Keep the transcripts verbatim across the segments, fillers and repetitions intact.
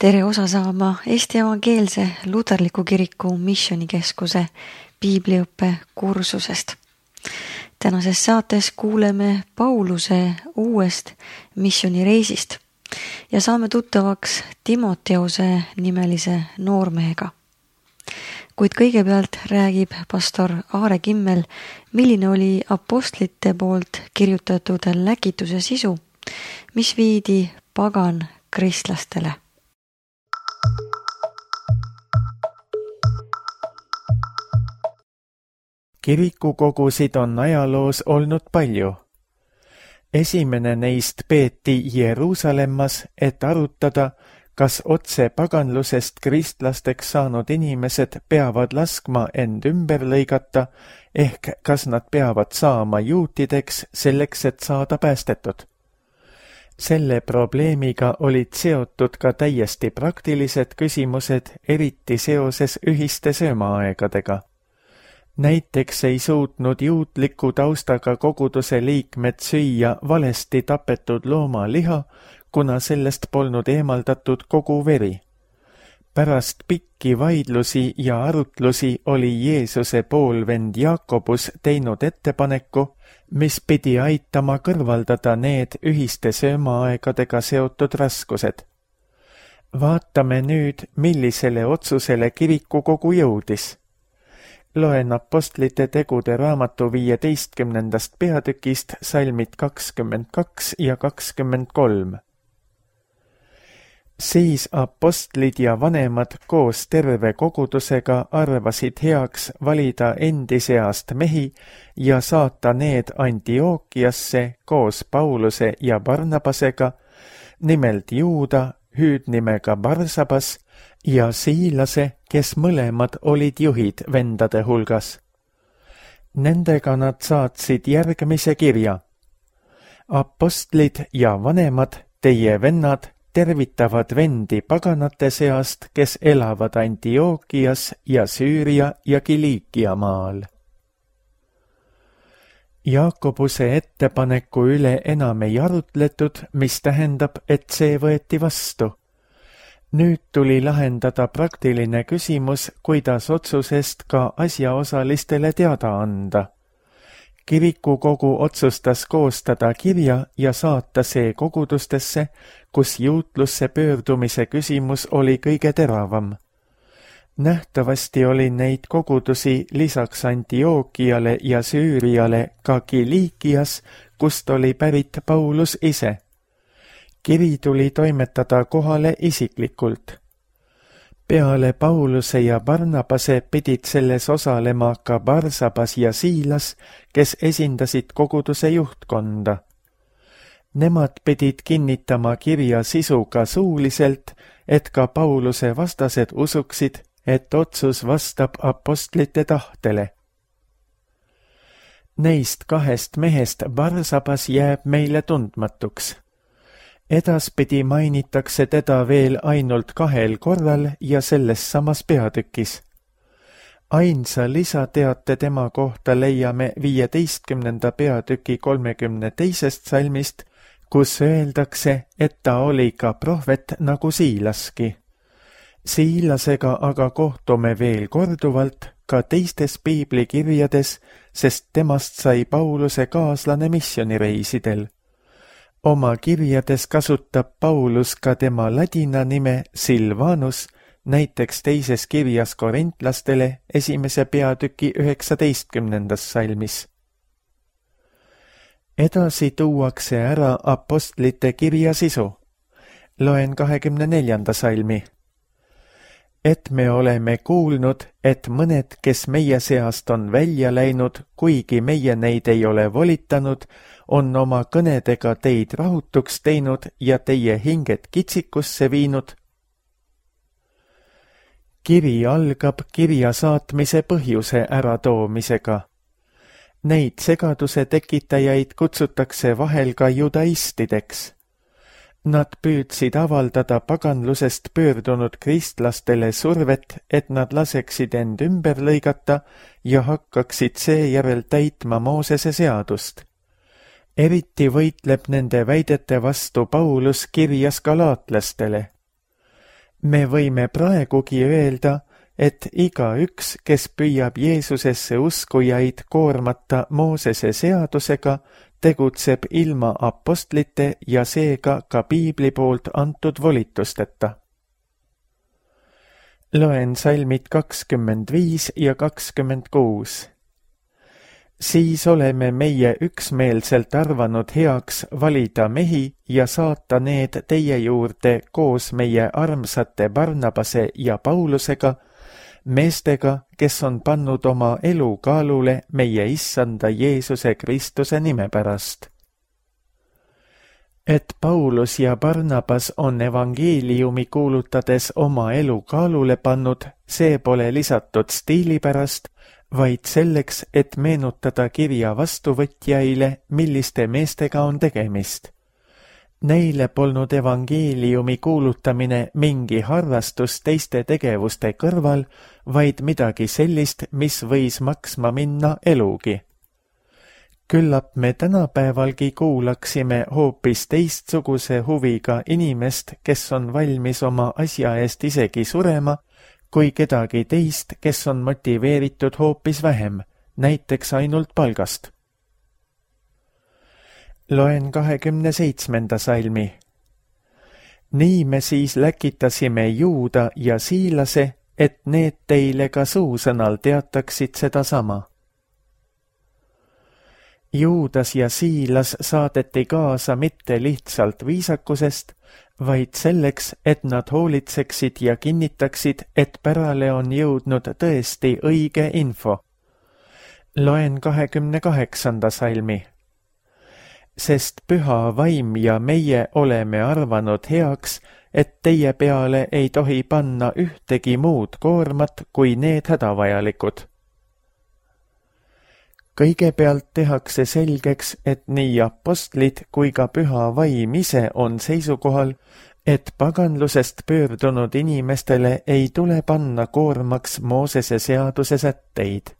Tere osa saama Eesti Evangeelse Luterliku Kiriku Missionikeskuse piibliõppe kursusest. Tänases saates kuuleme Pauluse uuest missionireisist ja saame tuttavaks Timoteuse nimelise noormehega. Kuid kõigepealt räägib pastor Aare Kimmel, milline oli apostlite poolt kirjutatud läkituse sisu, mis viidi pagan kristlastele. Kirikukogusid on ajaloos olnud palju. Esimene neist peeti Jeruusalemmas, et arutada, kas otse paganlusest kristlasteks saanud inimesed peavad laskma end ümber lõigata, ehk kas nad peavad saama juutideks selleks, et saada päästetud. Selle probleemiga olid seotud ka täiesti praktilised küsimused, eriti seoses ühiste söömaaegadega. Näiteks ei suutnud juutliku taustaga koguduse liikmed süüa valesti tapetud looma liha, kuna sellest polnud eemaldatud kogu veri. Pärast pikki vaidlusi ja arutlusi oli Jeesuse poolvend Jaakobus teinud ettepaneku, mis pidi aitama kõrvaldada need ühiste söömaaegadega seotud raskused. Vaatame nüüd, millisele otsusele kirikukogu jõudis. Loen apostlite tegude raamatu viieteistkümnendast peatükist salmid kakskümmend kaks ja kakskümmend kolm. Siis apostlid ja vanemad koos terve kogudusega arvasid heaks valida endi seast mehi ja saata need Antiookiasse koos Pauluse ja Barnabasega, nimelt Juuda, hüüdnimega Barsabas, ja Siilase, kes mõlemad olid juhid vendade hulgas. Nendega nad saatsid järgmise kirja. Apostlid ja vanemad, teie vennad, tervitavad vendi paganate seast, kes elavad Antiookias ja Süüria ja Kiliikia maal. Jaakobuse ettepaneku üle enam ei arutletud, mis tähendab, et see võeti vastu. Nüüd tuli lahendada praktiline küsimus, kuidas otsusest ka asjaosalistele teada anda. Kirikukogu otsustas koostada kirja ja saata see kogudustesse, kus juutlusse pöördumise küsimus oli kõige teravam. Nähtavasti oli neid kogudusi lisaks Antiookiale ja Süüriale ka Kiliikias, kust oli pärit Paulus ise. Kiri tuli toimetada kohale isiklikult. Peale Pauluse ja Barnabase pidid selles osalema ka Barsabas ja Siilas, kes esindasid koguduse juhtkonda. Nemad pidid kinnitama kirja sisuga suuliselt, et ka Pauluse vastased usuksid, et otsus vastab apostlite tahtele. Neist kahest mehest Barsabas jääb meile tundmatuks. Edaspidi mainitakse teda veel ainult kahel korral ja selles samas peatükis. Ainsa lisateate tema kohta leiame viieteistkümnenda peatüki kolmekümne teisest salmist, kus öeldakse, et ta oli ka prohvet nagu Siilaski. Siilasega aga kohtume veel korduvalt ka teistes piiblikirjades, sest temast sai Pauluse kaaslane missionireisidel. Oma kirjades kasutab Paulus ka tema ladina nime Silvanus, näiteks teises kirjas korintlastele esimese peatüki üheksateistkümnendas salmis. Edasi tuuakse ära apostlite kirja sisu. Loen kahekümne neljanda salmi. Et me oleme kuulnud, et mõned, kes meie seast on välja läinud, kuigi meie neid ei ole volitanud, on oma kõnedega teid rahutuks teinud ja teie hinged kitsikusse viinud. Kiri algab kirja saatmise põhjuse äratoomisega. Neid segaduse tekitajaid kutsutakse vahel ka judaistideks. Nad püüdsid avaldada paganlusest pöördunud kristlastele survet, et nad laseksid end ümber lõigata ja hakkaksid seejärel täitma Moosese seadust. Eriti võitleb nende väidete vastu Paulus kirjas galaatlastele. me võime praegugi öelda, et igaüks, kes püüab Jeesusesse uskujaid koormata Moosese seadusega, tegutseb ilma apostlite ja seega ka piibli poolt antud volitusteta. Loen salmid kakskümmend viis ja kakskümmend kuus. Siis oleme meie üksmeelselt arvanud heaks valida mehi ja saata need teie juurde koos meie armsate Barnabase ja Paulusega, meestega, kes on pannud oma elu kaalule meie issanda Jeesuse Kristuse nime pärast. Et Paulus ja Barnabas on evangeeliumi kuulutades oma elu kaalule pannud, see pole lisatud stiili pärast, vaid selleks, et meenutada kirja vastuvõtjaile, milliste meestega on tegemist. Neile polnud evangeeliumi kuulutamine mingi harrastus teiste tegevuste kõrval, vaid midagi sellist, mis võis maksma minna elugi. Küllap me tänapäevalgi kuulaksime hoopis teistsuguse huviga inimest, kes on valmis oma asja eest isegi surema, kui kedagi teist, kes on motiveeritud hoopis vähem, näiteks ainult palgast. Loen kahekümne seitsmenda salmi. Nii me siis läkitasime Juuda ja Siilase, et need teile ka suusõnal teataksid seda sama. Juudas ja Siilas saadeti kaasa mitte lihtsalt viisakusest, vaid selleks, et nad hoolitseksid ja kinnitaksid, et pärale on jõudnud tõesti õige info. Loen kahekümne kaheksanda salmi. Sest püha vaim ja meie oleme arvanud heaks, et teie peale ei tohi panna ühtegi muud koormat kui need hädavajalikud. Kõigepealt tehakse selgeks, et nii apostlid kui ka püha vaim ise on seisukohal, et paganlusest pöördunud inimestele ei tule panna koormaks Moosese seaduse sätteid.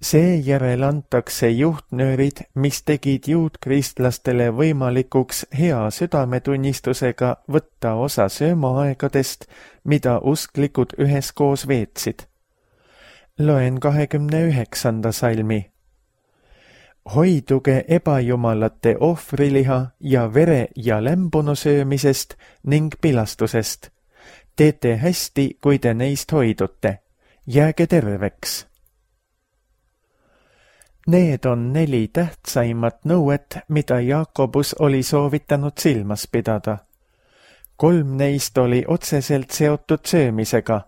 Seejärel antakse juhtnöörid, mis tegid juutkristlastele võimalikuks hea südametunnistusega võtta osa söömaaegadest, mida usklikud üheskoos veetsid. Loen kahekümne üheksanda salmi. Hoiduge ebajumalate ohvriliha ja vere ja lämbunu söömisest ning pilastusest. Teete hästi, kui te neist hoidute. Jääge terveks. Need on neli tähtsaimat nõuet, mida Jaakobus oli soovitanud silmas pidada. Kolm neist oli otseselt seotud söömisega.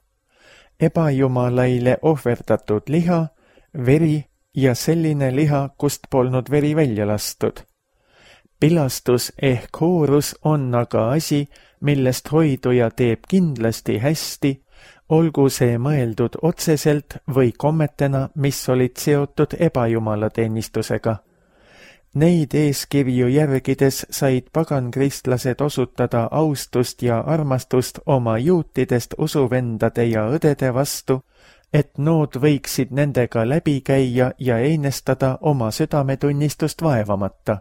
Ebajumalaile ohverdatud liha, veri ja selline liha, kust polnud veri välja lastud. Pilastus ehk hoorus on aga asi, millest hoiduja teeb kindlasti hästi, olgu see mõeldud otseselt või kommetena, mis olid seotud ebajumalateenistusega. Neid eeskirju järgides said pagankristlased osutada austust ja armastust oma juutidest usuvendade ja õdede vastu, et nood võiksid nendega läbi käia ja einestada oma südametunnistust vaevamata.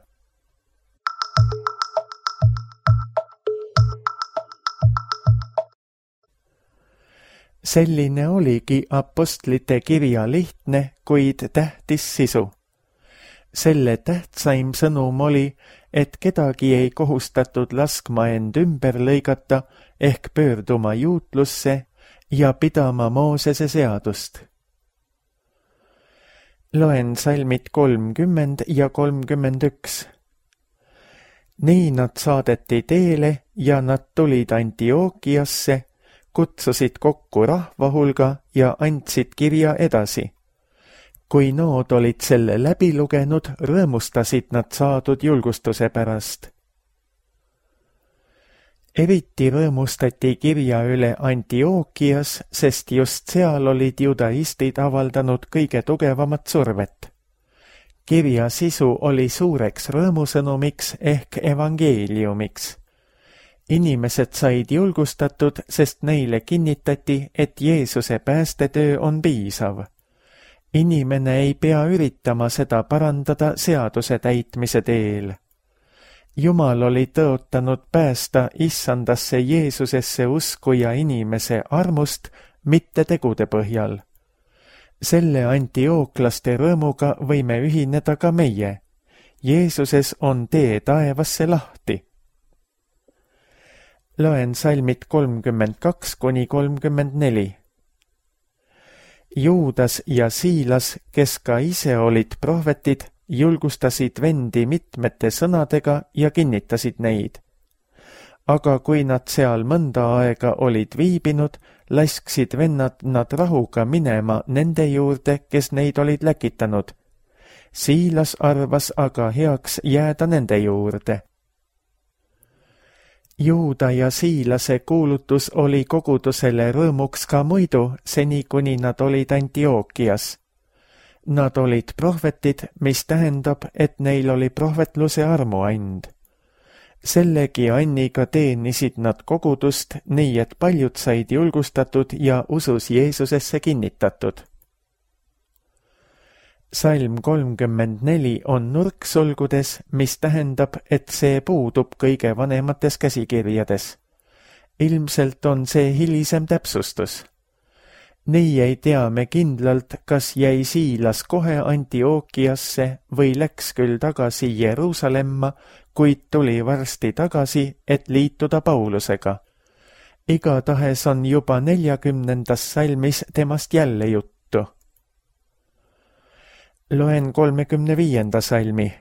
Selline oligi apostlite kirja lihtne, kuid tähtis sisu. Selle tähtsaim sõnum oli, et kedagi ei kohustatud laskma end ümber lõigata ehk pöörduma juutlusse ja pidama Moosese seadust. Loen salmid kolmkümmend ja kolmkümmend üks. Nii nad saadeti teele ja nad tulid Antiookiasse, kutsusid kokku rahva hulga ja andsid kirja edasi. Kui nood olid selle läbi lugenud, rõõmustasid nad saadud julgustuse pärast. Eriti rõõmustati kirja üle Antiookias, sest just seal olid judaistid avaldanud kõige tugevamat survet. Kirja sisu oli suureks rõõmusõnumiks ehk evangeeliumiks. Inimesed said julgustatud, sest neile kinnitati, et Jeesuse päästetöö on piisav. Inimene ei pea üritama seda parandada seaduse täitmise teel. Jumal oli tõotanud päästa issandasse Jeesusesse uskuja inimese armust, mitte tegude põhjal. Selle antiooklaste rõõmuga võime ühineda ka meie. Jeesuses on tee taevasse lahti. Loen salmid kolmkümmend kaks kuni kolmkümmend neli. Juudas ja Siilas, kes ka ise olid prohvetid, julgustasid vendi mitmete sõnadega ja kinnitasid neid. Aga kui nad seal mõnda aega olid viibinud, lasksid vennad nad rahuga minema nende juurde, kes neid olid läkitanud. Siilas arvas aga heaks jääda nende juurde. Juuda ja Siilase kuulutus oli kogudusele rõõmuks ka muidu, seni kuni nad olid Antiookias. Nad olid prohvetid, mis tähendab, et neil oli prohvetluse armuand. Sellegi anniga teenisid nad kogudust, nii et paljud said julgustatud ja usus Jeesusesse kinnitatud. Salm kolmkümmend neli on nurksulgudes, mis tähendab, et see puudub kõige vanemates käsikirjades. Ilmselt on see hilisem täpsustus. Nii ei tea me kindlalt, kas jäi Siilas kohe Antiookiasse või läks küll tagasi Jeruusalemma, kuid tuli varsti tagasi, et liituda Paulusega. Igatahes on juba neljakümnendas salmis temast jälle juttu. Loen kolmekümne viienda salmi.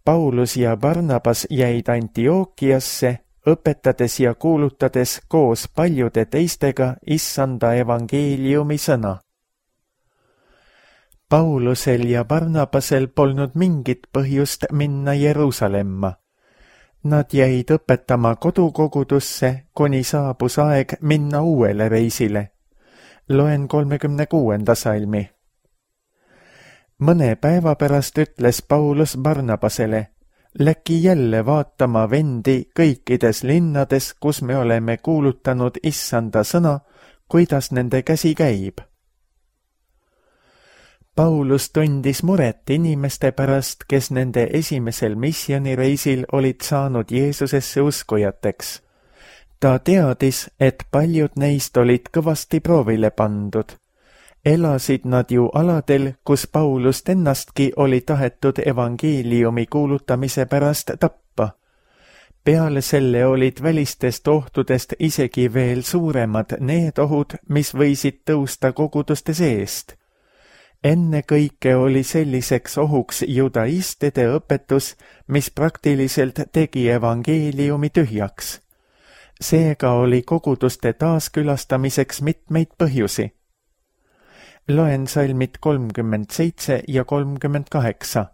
Paulus ja Barnabas jäid Antiookiasse, õpetades ja kuulutades koos paljude teistega issanda evangeeliumi sõna. Paulusel ja Barnabasel polnud mingit põhjust minna Jeruusalemma. Nad jäid õpetama kodukogudusse, kuni saabus aeg minna uuele reisile. Loen kolmekümne kuuenda salmi. Mõne päeva pärast ütles Paulus Barnabasele, läki jälle vaatama vendi kõikides linnades, kus me oleme kuulutanud issanda sõna, kuidas nende käsi käib. Paulus tundis muret inimeste pärast, kes nende esimesel missioonireisil olid saanud Jeesusesse uskujateks. Ta teadis, et paljud neist olid kõvasti proovile pandud. Elasid nad ju aladel, kus Paulust ennastki oli tahetud evangeeliumi kuulutamise pärast tappa. Peale selle olid välistest ohtudest isegi veel suuremad need ohud, mis võisid tõusta koguduste seest. Enne kõike oli selliseks ohuks judaistide õpetus, mis praktiliselt tegi evangeeliumi tühjaks. Seega oli koguduste taaskülastamiseks mitmeid põhjusi. Loen salmid kolmkümmend seitse ja kolmkümmend kaheksa.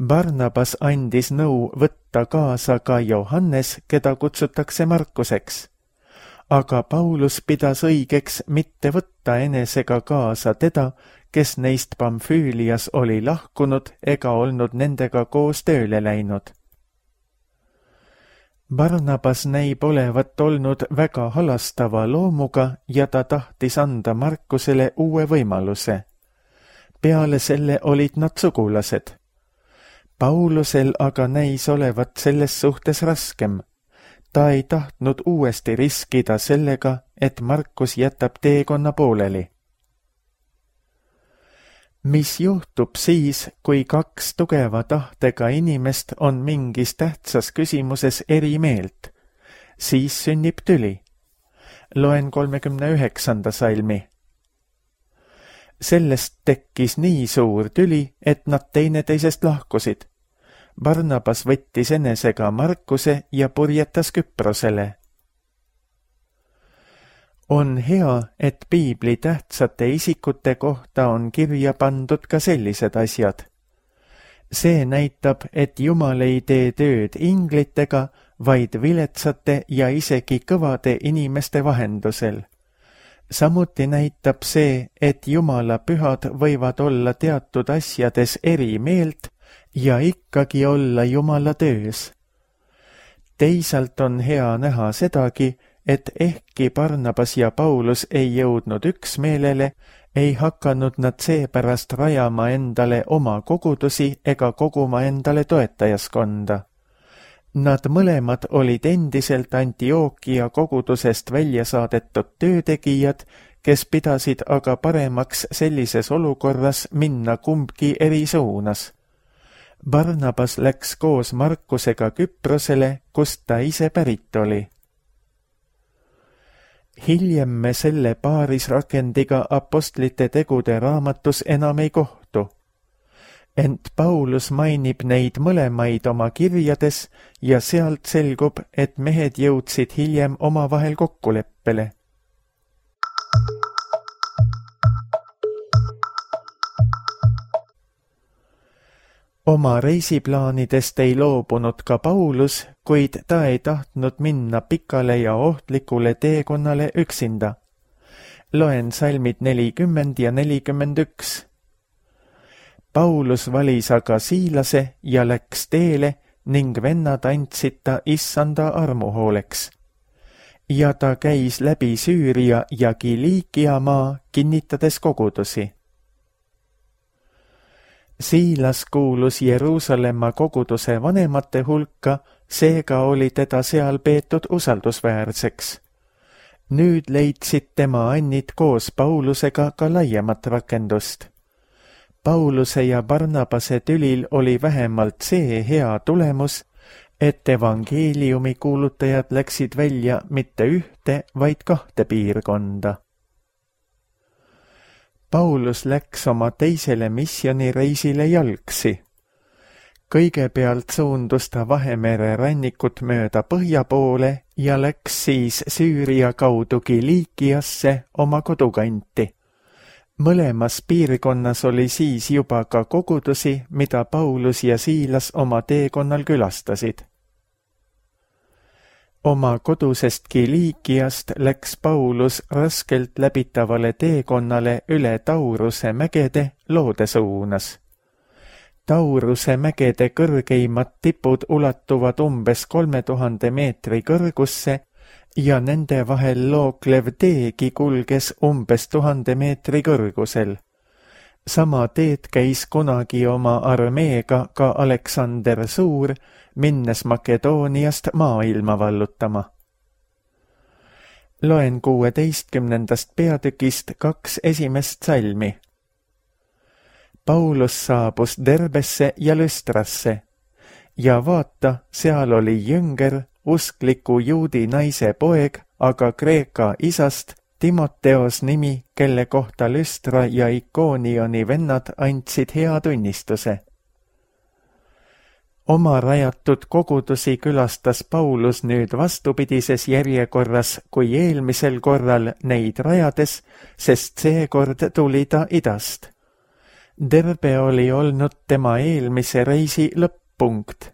Barnabas andis nõu võtta kaasa ka Johannes, keda kutsutakse Markuseks. Aga Paulus pidas õigeks mitte võtta enesega kaasa teda, kes neist Pamfüülias oli lahkunud ega olnud nendega koos tööle läinud. Barnabas näib olevat olnud väga halastava loomuga ja ta tahtis anda Markusele uue võimaluse. Peale selle olid nad sugulased. Paulusel aga näis olevat selles suhtes raskem. Ta ei tahtnud uuesti riskida sellega, et Markus jätab teekonna pooleli. Mis juhtub siis, kui kaks tugeva tahtega inimest on mingis tähtsas küsimuses eri meelt? Siis sünnib tüli. Loen kolmekümne üheksanda salmi. Sellest tekkis nii suur tüli, et nad teineteisest lahkusid. Barnabas võttis enesega Markuse ja purjetas Küprosele. On hea, et piibli tähtsate isikute kohta on kirja pandud ka sellised asjad. See näitab, et Jumal ei tee tööd inglitega, vaid viletsate ja isegi kõvade inimeste vahendusel. Samuti näitab see, et Jumala pühad võivad olla teatud asjades eri meelt ja ikkagi olla Jumala töös. Teisalt on hea näha sedagi, et ehkki Barnabas ja Paulus ei jõudnud üksmeelele, ei hakanud nad seepärast rajama endale oma kogudusi ega koguma endale toetajaskonda. Nad mõlemad olid endiselt Antiookia kogudusest välja saadetud töötegijad, kes pidasid aga paremaks sellises olukorras minna kumbki eri suunas. Barnabas läks koos Markusega Küprosele, kust ta ise pärit oli. Hiljem me selle paarisrakendiga apostlite tegude raamatus enam ei kohtu. Ent Paulus mainib neid mõlemaid oma kirjades ja sealt selgub, et mehed jõudsid hiljem omavahel kokkuleppele. Oma reisiplaanidest ei loobunud ka Paulus, kuid ta ei tahtnud minna pikale ja ohtlikule teekonnale üksinda. Loen salmid nelikümmend ja nelikümmend üks. Paulus valis aga Siilase ja läks teele ning vennad andsid ta issanda armuhooleks. Ja ta käis läbi Süüria ja Kiliikia maa, kinnitades kogudusi. Siilas kuulus Jeruusalemma koguduse vanemate hulka, seega oli teda seal peetud usaldusväärseks. Nüüd leidsid tema annid koos Paulusega ka laiemat rakendust. Pauluse ja Barnabase tülil oli vähemalt see hea tulemus, et evangeeliumi kuulutajad läksid välja mitte ühte, vaid kahte piirkonda. Paulus läks oma teisele missioonireisile jalgsi. Kõigepealt suundus ta Vahemere rannikut mööda põhja poole ja läks siis Süüria kaudu Kiliikiasse oma kodukanti. Mõlemas piirkonnas oli siis juba ka kogudusi, mida Paulus ja Siilas oma teekonnal külastasid. Oma kodusest Kiliikiast läks Paulus raskelt läbitavale teekonnale üle Tauruse mägede loode suunas. Tauruse mägede kõrgeimad tipud ulatuvad umbes kolme tuhande meetri kõrgusse ja nende vahel looklev teegi kulges umbes tuhande meetri kõrgusel. Sama teed käis kunagi oma armeega ka Aleksander Suur, minnes Makedooniast maailma vallutama. Loen kuueteistkümnendast peatükist kaks esimest salmi. Paulus saabus Derbesse ja Lüstrasse ja vaata, seal oli jünger, uskliku juudi naise poeg, aga Kreeka isast, Timoteos nimi, kelle kohta Lüstra ja Ikoonioni vennad andsid hea tunnistuse. Oma rajatud kogudusi külastas Paulus nüüd vastupidises järjekorras kui eelmisel korral neid rajades, sest seekord tuli ta idast. Derbe oli olnud tema eelmise reisi lõpp-punkt.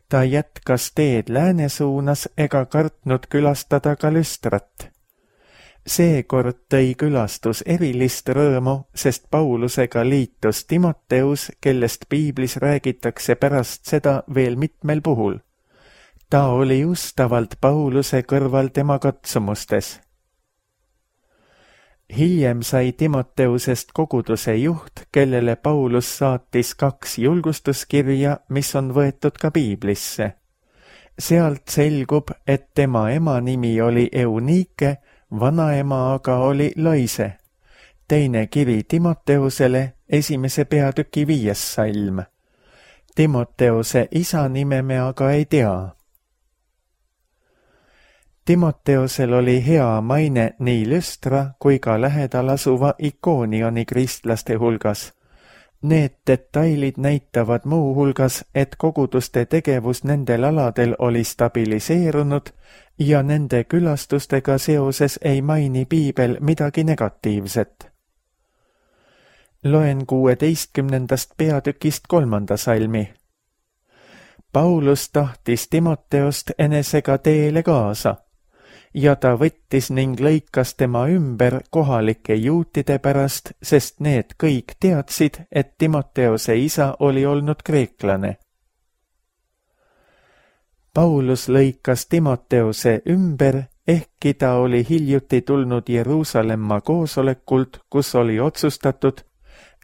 Ta jätkas teed lääne suunas ega kartnud külastada ka Lüstrat. Seekord tõi külastus erilist rõõmu, sest Paulusega liitus Timoteus, kellest piiblis räägitakse pärast seda veel mitmel puhul. Ta oli ustavalt Pauluse kõrval tema katsumustes. Hiljem sai Timoteusest koguduse juht, kellele Paulus saatis kaks julgustuskirja, mis on võetud ka piiblisse. Sealt selgub, et tema ema nimi oli Eunike, vanaema aga oli Loise. Teine kiri Timoteusele, esimese peatüki viies salm. Timoteuse isa nime me aga ei tea. Timoteusel oli hea maine nii Lüstra kui ka lähedal asuva Ikoonioni kristlaste hulgas. Need detailid näitavad muu hulgas, et koguduste tegevus nendel aladel oli stabiliseerunud ja nende külastustega seoses ei maini piibel midagi negatiivset. Loen kuueteistkümnendast peatükist kolmanda salmi. Paulus tahtis Timoteost enesega teele kaasa ja ta võttis ning lõikas tema ümber kohalike juutide pärast, sest need kõik teadsid, et Timoteose isa oli olnud kreeklane. Paulus lõikas Timoteose ümber ehkki ta oli hiljuti tulnud Jeruusalemma koosolekult, kus oli otsustatud,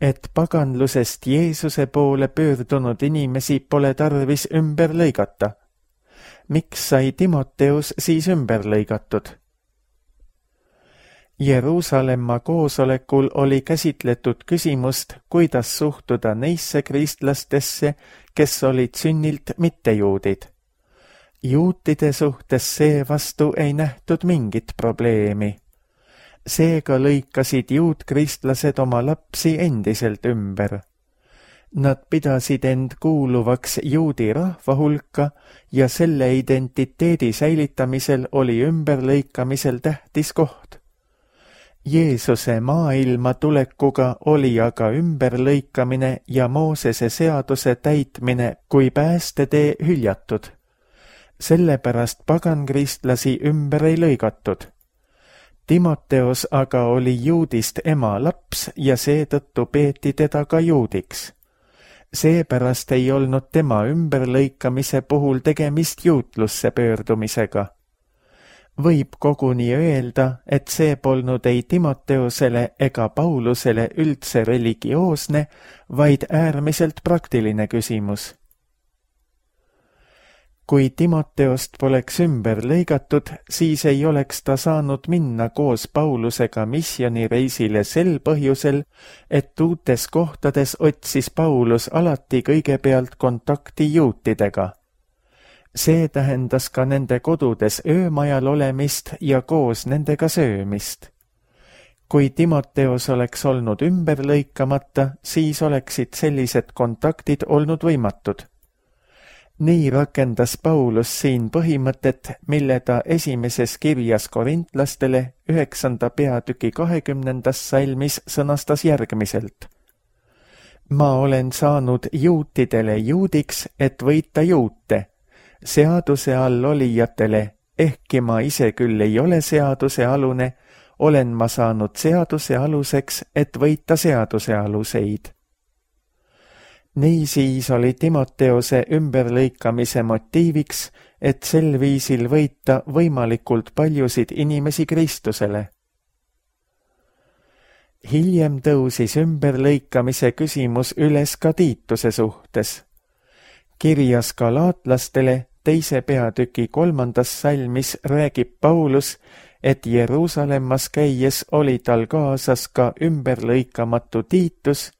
et paganlusest Jeesuse poole pöördunud inimesi pole tarvis ümber lõigata. Miks sai Timoteus siis ümber lõigatud? Jeruusalemma koosolekul oli käsitletud küsimust, kuidas suhtuda neisse kristlastesse, kes olid sünnilt mittejuudid. Juutide suhtes seevastu ei nähtud mingit probleemi. Seega lõikasid juutkristlased oma lapsi endiselt ümber. Nad pidasid end kuuluvaks juudi rahva hulka ja selle identiteedi säilitamisel oli ümberlõikamisel tähtis koht. Jeesuse maailma tulekuga oli aga ümberlõikamine ja Moosese seaduse täitmine kui päästetee hüljatud. Sellepärast pagankristlasi ümber ei lõigatud. Timoteos aga oli juudist ema laps ja seetõttu peeti teda ka juudiks. Seepärast ei olnud tema ümberlõikamise puhul tegemist juutlusse pöördumisega. Võib koguni öelda, et see polnud ei Timoteosele ega Paulusele üldse religioosne, vaid äärmiselt praktiline küsimus. Kui Timoteost poleks ümber lõigatud, siis ei oleks ta saanud minna koos Paulusega missioonireisile sel põhjusel, et uutes kohtades otsis Paulus alati kõigepealt kontakti juutidega. See tähendas ka nende kodudes öömajal olemist ja koos nendega söömist. Kui Timoteos oleks olnud ümber lõikamata, siis oleksid sellised kontaktid olnud võimatud. Nii rakendas Paulus siin põhimõtet, mille ta esimeses kirjas korintlastele üheksanda peatüki kahekümnendas salmis sõnastas järgmiselt. Ma olen saanud juutidele juudiks, et võita juute, seaduse all olijatele, ehkki ma ise küll ei ole seaduse alune, olen ma saanud seaduse aluseks, et võita seaduse aluseid. Niisiis oli Timoteose ümberlõikamise motiiviks, et sel viisil võita võimalikult paljusid inimesi Kristusele. Hiljem tõusis ümberlõikamise küsimus üles ka Tiituse suhtes. Kirjas galaatlastele teise peatüki kolmandas salmis räägib Paulus, et Jeruusalemmas käies oli tal kaasas ka ümberlõikamatu Tiitus,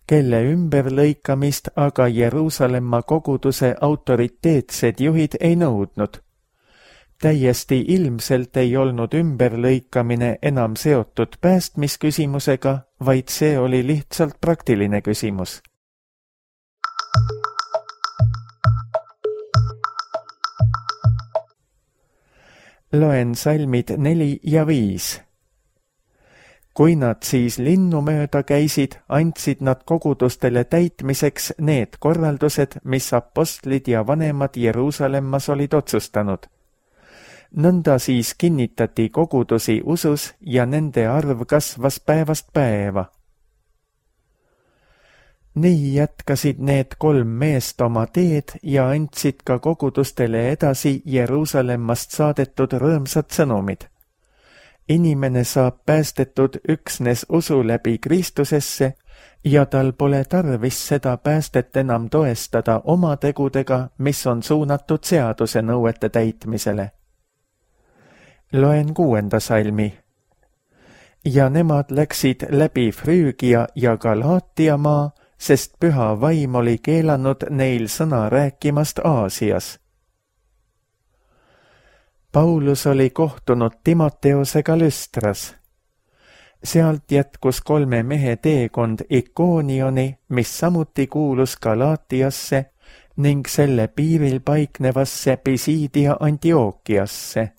kelle ümberlõikamist aga Jeruusalemma koguduse autoriteetsed juhid ei nõudnud. Täiesti ilmselt ei olnud ümberlõikamine enam seotud päästmisküsimusega, vaid see oli lihtsalt praktiline küsimus. Loen salmid neli ja viis. Kui nad siis linnu mööda käisid, andsid nad kogudustele täitmiseks need korraldused, mis apostlid ja vanemad Jeruusalemmas olid otsustanud. Nõnda siis kinnitati kogudusi usus ja nende arv kasvas päevast päeva. Nii jätkasid need kolm meest oma teed ja andsid ka kogudustele edasi Jeruusalemmast saadetud rõõmsad sõnumid. Inimene saab päästetud üksnes usu läbi Kristusesse ja tal pole tarvis seda päästet enam toestada oma tegudega, mis on suunatud seaduse nõuete täitmisele. Loen kuuenda salmi. Ja nemad läksid läbi Früügia ja Galaatia maa, sest püha vaim oli keelanud neil sõna rääkimast Aasias. Paulus oli kohtunud Timoteosega Lüstras. Sealt jätkus kolme mehe teekond Ikoonioni, mis samuti kuulus Galaatiasse ning selle piiril paiknevasse Pisiidia Antiookiasse.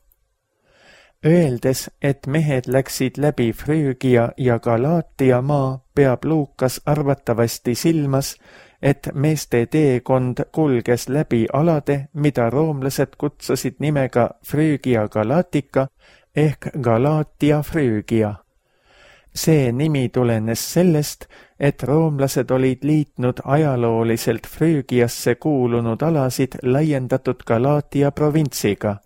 Öeldes, et mehed läksid läbi Früügia ja Galaatia maa, peab Luukas arvatavasti silmas, et meeste teekond kulges läbi alade, mida roomlased kutsusid nimega Früügia Galaatika ehk Galaatia Früügia. See nimi tulenes sellest, et roomlased olid liitnud ajalooliselt Früügiasse kuulunud alasid laiendatud Galaatia provintsiga.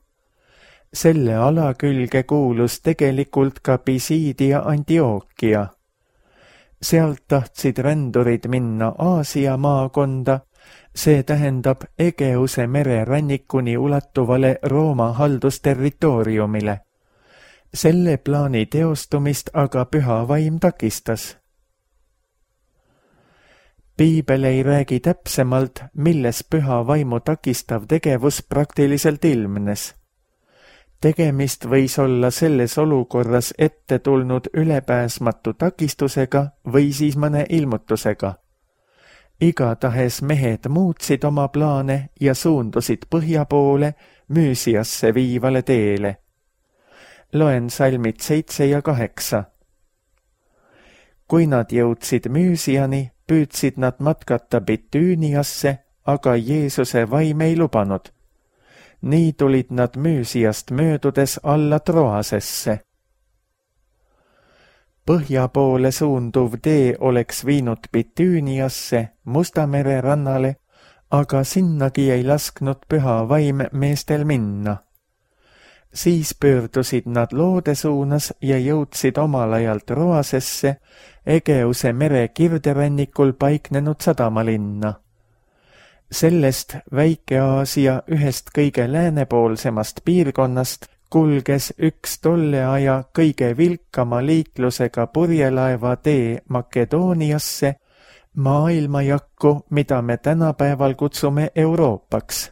Selle ala külge kuulus tegelikult ka Pisidia Antioquia. Sealt tahtsid rändurid minna Aasia maakonda, see tähendab Egeuse mere rannikuni ulatuvale Rooma haldusterritooriumile. Selle plaani teostumist aga püha vaim takistas. Piibel ei räägi täpsemalt, milles püha vaimu takistav tegevus praktiliselt ilmnes. Tegemist võis olla selles olukorras ette tulnud ülepääsmatu takistusega või siis mõne ilmutusega. Igatahes mehed muutsid oma plaane ja suundusid põhja poole Müüsiasse viivale teele. Loen salmid seitse ja kaheksa. Kui nad jõudsid Müüsiani, püüdsid nad matkata Bitüüniasse, aga Jeesuse vaim ei lubanud. Nii tulid nad Müüsiast möödudes alla Troasesse. Põhja poole suunduv tee oleks viinud Bitüüniasse, Musta mere rannale, aga sinnagi ei lasknud püha vaim meestel minna. Siis pöördusid nad loode suunas ja jõudsid omal ajal Troasesse, Egeuse mere kirderannikul paiknenud sadamalinna. Sellest Väike-Aasia ühest kõige läänepoolsemast piirkonnast kulges üks tolle aja kõige vilkama liiklusega purjelaeva tee Makedooniasse, maailmajakku, mida me tänapäeval kutsume Euroopaks.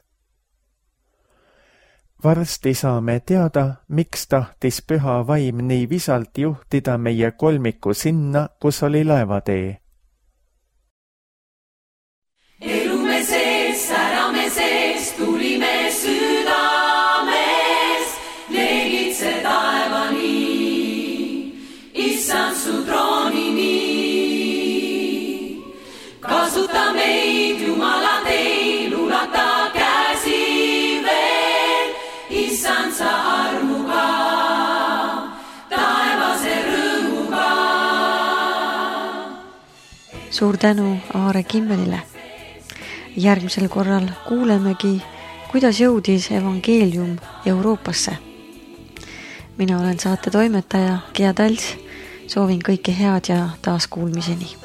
Varsti saame teada, miks tahtis püha vaim nii visalt juhtida meie kolmiku sinna, kus oli laevatee. Elume sees, särame sees, tulime südames, leegitse taevani, issand su troonini. Kasuta meid, Jumala teil, ulata käsi veel, issand sa armuga, taevase rõõmuga. Suur tänu Aare Kimmelile. Järgmisel korral kuulemegi, kuidas jõudis evangeelium Euroopasse. Mina olen saate toimetaja Gea Tals, soovin kõike head ja taas kuulmiseni.